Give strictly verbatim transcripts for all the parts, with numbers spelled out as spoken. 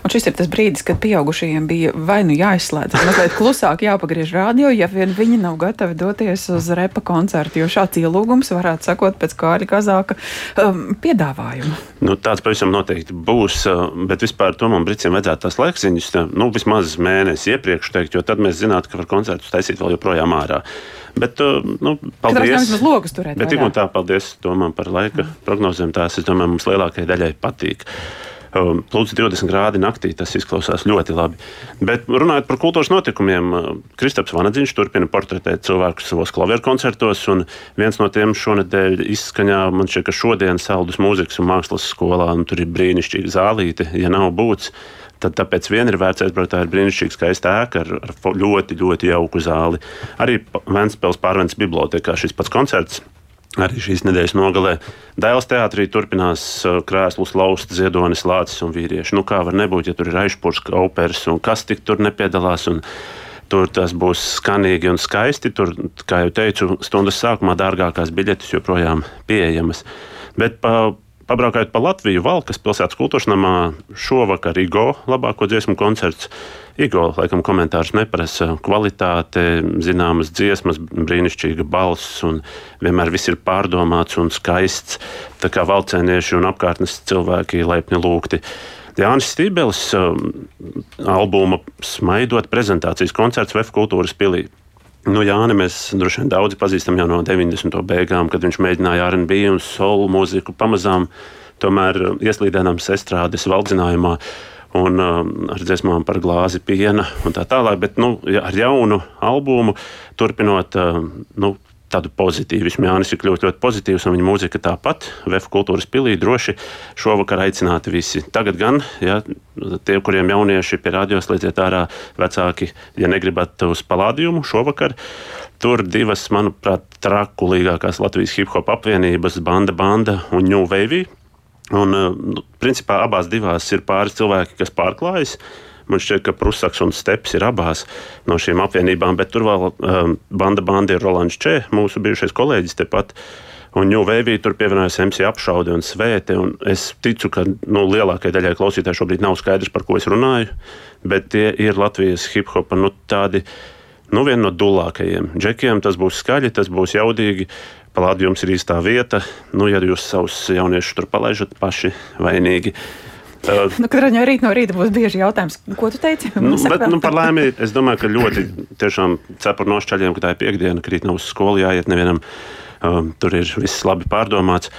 Un šis ir tas brīdis, kad pieaugušajiem bija vai nu jāizslēdz, mazliet klusāk jāpagriež rādio, ja vien viņi nav gatavi doties uz repa koncertu, jo šāds ielūgums varētu sakot pēc Kārļa Kazāka um, piedāvājuma. Nu, tāds pavisam noteikti būs, bet vispār Tomam Bricim vajadzētu tās laikziņas, nu, vismaz mēnesi iepriekš teikt, jo tad mēs zinātu, ka var koncertus taisīt vēl joprojām ārā. Bet, nu, paldies. Bet tik un tā, paldies Tomam par laika prognozēm. Tās, es domāju, mums lielākajai daļai patīk. Plus divdesmit grādi naktī, tas izklausās ļoti labi. Bet runājot par kultūras notikumiem, Kristaps Vanadziņš turpina portretēt cilvēkus savos klavieru koncertos, un viens no tiem šonedēļ izskaņā, man šķiet, ka šodien Saldus mūzikas un mākslas skolā, un tur ir brīnišķīga zālīte, ja nav būts. Tad tāpēc vien ir vērts aizbraukt, tā ir brīnišķīga skaista ēka ar, ar ļoti, ļoti jauku zāli. Arī Ventspils Pārvences bibliotēkā šis pats koncerts, arī šīs nedēļas nogalē. Dailes teātrī turpinās krēslus laust Ziedonis, Lācis un vīrieši. Nu kā var nebūt, ja tur ir Aišpurska operas un kas tik tur nepiedalās, un tur tas būs skanīgi un skaisti. Tur, kā jau teicu, stundas sākumā dārgākās biļetes joprojām pieejamas. Bet pa Pabraukājot pa Latviju, Valkas pilsētas kultūras namā šovakar Igo labāko dziesmu koncerts. Igo, laikam, komentārus neprasa. Kvalitāte, zināmas dziesmas, brīnišķīga balss un vienmēr viss ir pārdomāts un skaists. Tā kā valcēnieši un apkārtnes cilvēki laipni lūgti. Jānis Stībelis albuma Smaidot prezentācijas koncerts V F kultūras pilī. Nu, Jāni mēs droši vien daudzi pazīstam jau no deviņdesmito beigām, kad viņš mēģināja R and B un soul mūziku pamazām tomēr ieslīdēnams estrādes valdzinājumā un uh, ar dziesmām par glāzi piena un tā tālāk, bet nu, ar jaunu albumu turpinot uh, nu, tādu pozitīvismu. Jānis ir kļūst ļoti pozitīvs un viņa mūzika tāpat. V F kultūras pilī droši šovakar aicināti visi. Tagad gan, ja, tie, kuriem jaunieši pie radio slēdziet ārā vecāki, ja negribat uz Palādiumu šovakar, tur divas, manuprāt, trakulīgākās Latvijas hip-hop apvienības Banda Banda un New Wavy. Un, nu, principā abās divās ir pāris cilvēki, kas pārklājas. Man šķiet, ka Prusaks un Steps ir abās no šīm apvienībām, bet tur vēl um, Banda Banda ir Rolands Čē, mūsu bijušais kolēģis tepat. Un New Wavy tur pievienojas M C Apšaude un Svēte. Un es ticu, ka nu, lielākajai daļai klausītāji šobrīd nav skaidrs, par ko es runāju, bet tie ir Latvijas hip-hopa nu, tādi, nu, vieni no dulākajiem. Džekiem tas būs skaļi, tas būs jaudīgi. Palādījums ir īstā vieta. Nu, ja jūs savus jauniešus tur palaižat, paši vainīgi. Uh, nu, katrā ziņā rīt no rīta būs bieži jautājums, ko tu teici? Nu, bet, nu, par laimi, es domāju, ka ļoti tiešām cepur nošķaļiem, ka tā ir piekdiena, ka rīt nav uz skolu jāiet nevienam. Uh, tur ir viss labi pārdomāts.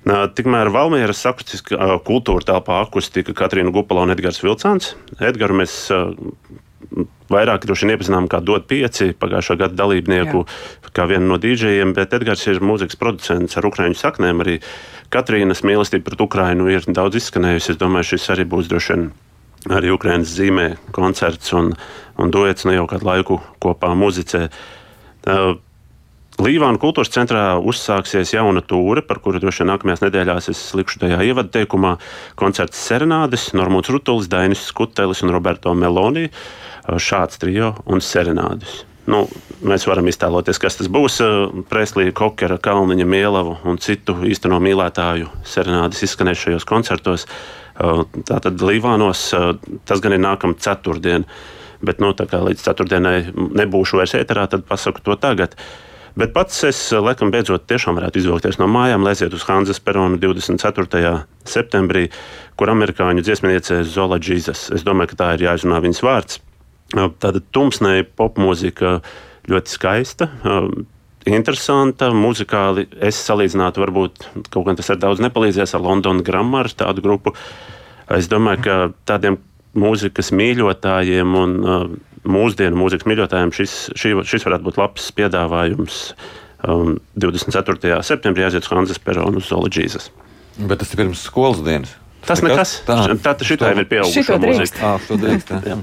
Uh, tikmēr Valmieras akustiskā uh, kultūra telpā akustika Katrīna Gupala un Edgars Vilcāns. Edgaru mēs uh, vairāk droši vien iepazinām kā Dod pieci pagājušā gada dalībnieku, Jā. Kā vienu no dīdžejiem, bet Edgars ir mūzikas producents ar ukraiņu saknēm. Arī Katrīnas mīlestība pret Ukrainu ir daudz izskanējusi. Es domāju, šis arī būs droši vien arī Ukrainas zīmē koncerts un, un duets ne jau kādu laiku kopā muzicē. Uh, Līvānu kultūras centrā uzsāksies jauna tūre, par kuru droši vien nākamajās nedēļās es likšu tajā ievadu teikumā. Koncerts Serenādes, Normūns Rutulis, Dainis Skutelis un Roberto Meloni, šāds trio un Serenādes. Nu, mēs varam iztēloties, kas tas būs. Preslija, Kokera, Kalniņa, Mielavu un citu īsteno mīlētāju Serenādes izskanēs šajos koncertos. Tātad Līvānos tas gan ir nākamā ceturtdien, bet nu, tā kā līdz ceturtdienai nebūšu vairs ēterā, tad pasaku to tagad. Bet pats es, laikam, beidzot tiešām varētu izvilkties no mājām, lēziet uz Hanzas peronu divdesmit ceturtajā septembrī, kur amerikāņu dziesmniece Zola Jesus. Es domāju, ka tā ir jāizrunā viņas vārds. Tāda tumsnēja popmūzika ļoti skaista, interesanta, muzikāli. Es salīdzinātu, varbūt kaut gan tas ir daudz nepalīdzies ar London Grammar, tādu grupu. Es domāju, ka tādiem mūzikas mīļotājiem un uh, mūsdienu mūzikas mīļotājiem šis, šī, šis varētu būt labs piedāvājums. Um, divdesmit ceturtajā septembrī aiziet uz Hanzas peronu uz Zola Jesus. Bet tas ir pirms skolas dienas. Tas nekas. Tā, tā šitā jau ir pieaugušo mūzika. Ā, šo drīkst, jā.